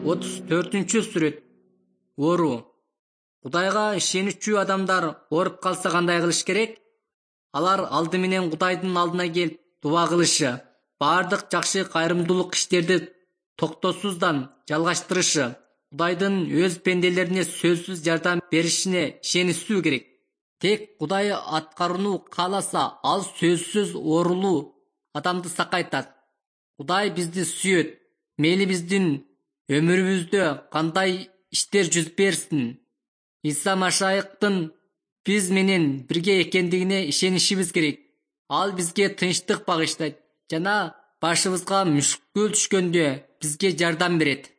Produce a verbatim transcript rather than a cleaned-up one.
отуз төртүнчү сүрөт. Оору. Кудайга ишеничүү адамдар ооруп калса кандай кылыш керек? Алар алды менен Кудайдын алдына келип дуба кылышы, баардык жакшы кайрымдуулук иштерди токтосуздан жалгаштырышы, Кудайдын өз пенделерине сөзсүз жардам беришине ишенишүү керек. Тек Кудай аткарууну кааласа, ал сөзсүз оорулуу адамды сакайтат. Кудай бизди сүйөт. Мейли биздин өмүрүбүздө кандай иштер жүз берсин, Иса Машайыктын биз менен бирге экендигине ишенишибиз керек. Ал бизге тынчтык багыштайт жана башыбызга мүшкүл түшкөндө бизге жардам берет.